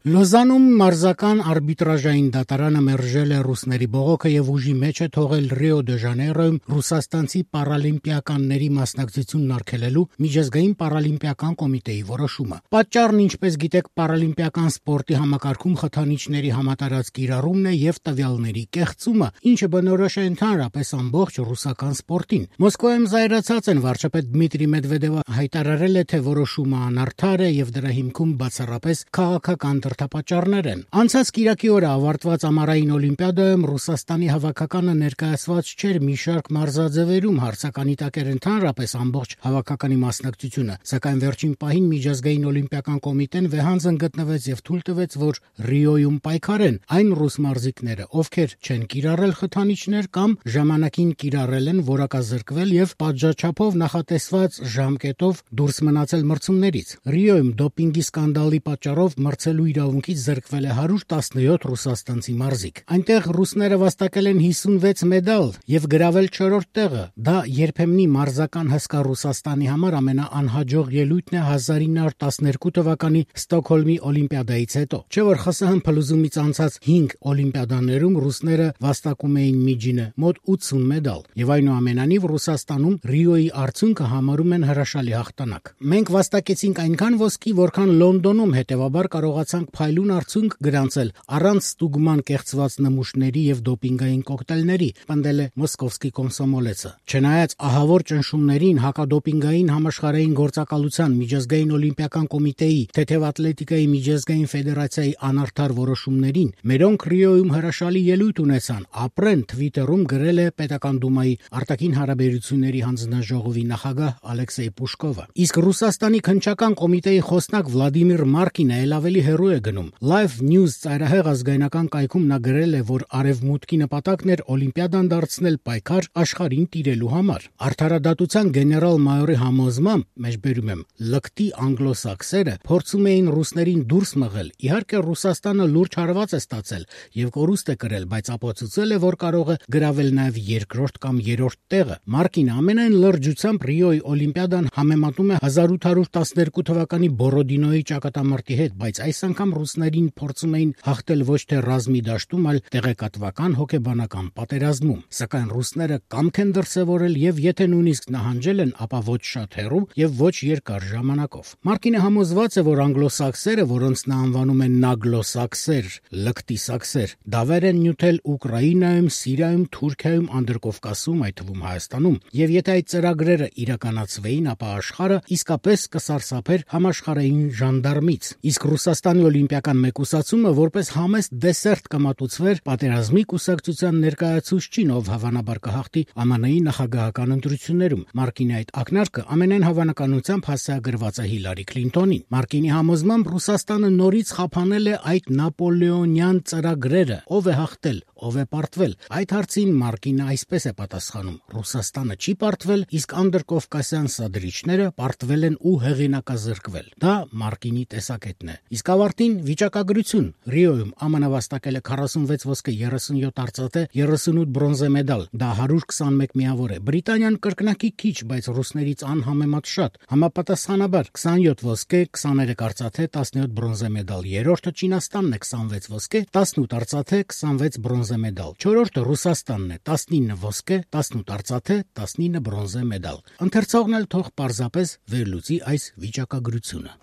Լոզանում մարզական արբիտրաժային դատարանը մերժել է ռուսների բողոքը եւ ուժի մեջ է թողել Ռիո դե Ժանեյրոյում ռուսաստանցի պարալիմպիականների մասնակցությունն արգելելու միջազգային պարալիմպիական կոմիտեի որոշումը։ Պատճառն, ինչպես գիտեք, պարալիմպիական սպորտի համակարգում խթանիչների համատարած կիրառումն է եւ տվյալների կեղծումը, ինչը բնորոշ է ընդհանրապես ամբողջ ռուսական սպորտին։ Մոսկվայում զայրացած են վարչապետ Դմիտրի Մեդվեդևը հայտարարել է, թե որոշումը անարդար է եւ դրա հիմքում բացառապես քաղաքական դրդապատճառներ են։ Անցած կիրակի օրը ավարտված ամառային օլիմպիադայում Ռուսաստանի հավաքականը ներկայացված չէր մի շարք մարզաձևերում, հարցականի տակ էր ընդհանրապես ամբողջ հավաքականի մասնակցությունը, սակայն վերջին պահին միջազգային օլիմպիական կոմիտեն վեհանձն գտնվեց եւ թույլ տվեց, որ Ռիոյում պայքարեն այն ռուս մարզիկները, ովքեր չեն կիրառել խթանիչներ կամ ժամանակին կիրառել են, որակազրկվել եւ պատժաչափով նախատեսված ժամկետով դուրս մնացել մրցումներից։ Ռիոյում դոպինգի սկանդալի պատճառով մրցելու իրավունքից զրկվել է 117 ռուսաստանցի մարզիկ։ Այնտեղ ռուսները վաստակել են 56 մեդալ եւ գրավել 4-րդ տեղը։ Դա երբեմնի մարզական հսկա Ռուսաստանի համար ամենաանհաջող ելույթն է 1912 թվականի Ստոկհոլմի օլիմպիադայից հետո։ Չէ՞ որ ԽՍՀՄ փլուզումից անցած 5 օլիմպիադաներում ռուսները վաստակում էին միջինը մոտ 80 մեդալ եւ այնուամենայնիվ Ռուսաստանում Ռիոյի արդյունքը համարում են հրաշալի հաղթանակ։ Մենք վաստակեցինք այնքան ոսկի, որքան Լոնդոնում, հետեւաբար կարողացանք փայլուն արդյունք գրանցել առանց ստուգման կեղծված նմուշների եւ դոպինգային կոկտեյլների, պնդել է Մոսկովսկի Կոմսոմոլեցը։ Չնայած ահավոր ճնշումներին հակադոպինգային համաշխարհային գործակալության միջազգային օլիմպիական կոմիտեի, թեթև ատլետիկայի միջազգային ֆեդերացիայի անարդար որոշումներին, մերոնք Ռիոյում հրաշալի ելույթ ունեցան, ապրեն Twitter-ում գրել է Պետական դումայի արտաքին հարաբերությունների հանձնաժողովի նախագահ Ալեքսեյ Պուշկովը։ Իսկ Ռուսաստանի քննչական կոմիտեի խոսնակ Վլադիմիր Մարկինը էլ ավելի հեռու է գնում։ Live News ծայրահեղ ազգայնական կայքում նա գրել է, որ արևմուտքի նպատակն էր օլիմպիադան դարձնել պայքար աշխարհին տիրելու համար։ Արդարադատության գեներալ-մայորի համոզմամբ, մեջբերում եմ, լկտի անգլոսաքսերը փորձում էին ռուսներին դուրս մղել։ Իհարկե Ռուսաստանը լուրջ հարված է ստացել եւ կորուստ է կրել, բայց ապացուցել է, որ կարող է գրավել նաեւ երկրորդ կամ երրորդ տեղը։ Մարկինը ամենայն լրջությամբ Ռիոյի օլիմպիադան համեմատում է 1812 թվականի Բորոդինոյի ճակատամարտի հետ, բայց այս անգամ ռուսներին փորձում էին հաղթել ոչ թե ռազմի դաշտում, այլ տեղեկատվական հոգեբանական պատերազմում։ Սակայն ռուսները կամք են դրսևորել եւ եթե նույնիսկ նահանջել են, ապա ոչ շատ հեռու եւ ոչ երկար ժամանակով։ Մարկինը համոզված է, որ անգլոսաքսերը, որոնց նա անվանում են նագլոսաքսեր, լկտի սաքսեր, դավեր են նյութել Ուկրաինայում, Սիրիայում, Թուրքիայում, Անդրկովկասում, այդ թվում Հայաստանում, եւ եթե այդ ծրագրերը իրականացվեին, ապա աշխարհը իսկապես կսարսափեր համաշխարհային ժանդարմից։ Իսկ Ռուսաստանի օլիմպիական մեկուսացումը որպես համեստ դեսերտ կմատուցվեր պատերազմի կուսակցության ներկայացուցչին, ով հավանաբար կհաղթի ԱՄՆ-ի նախագահական ընտրություններում։ Մարկինի այդ ակնարկը ամենայն հավանականությամբ հասցեագրված է Հիլարի Քլինտոնին։ Մարկինի համոզմամբ Ռուսաստանը նորից խափանել է այդ նապոլեոնյան ծրագրերը, ով է հաղթել, ով է պարտվել։ Այդ հարցին Մարկինը այսպես է պատասխանում. Ռուսաստանը չի պարտվել, իսկ անդրկովկասյան սադրիչները պարտվել են ու հեղինակազրկվել։ Դա Մարկինի տեսակետն է։ Իսկ ավարտին վիճակագրություն։ Ռիոյում ԱՄՆ վաստակել է 46 ոսկե, 37 արծաթե, 38 բրոնզե մեդալ։ Դա 121 միավոր է։ Բրիտանիան կրկնակի քիչ, բայց ռուսներից անհամեմատ շատ։ Համապատասխանաբար 27 ոսկե, 23 արծաթե, 17 բրոնզե մեդալ։ Երրորդը Չինաստանն է 26 ոսկե, 18 արծաթե, 26 բրոնզե մեդալ։ Չորրորդը Ռուսաստանն է 19 ոսկե, 18 արծաթե, 19 բրոնզե մեդալ։ Ընթերցողն էլ թող պարզապես վերլուծի այս վիճակագրությունը։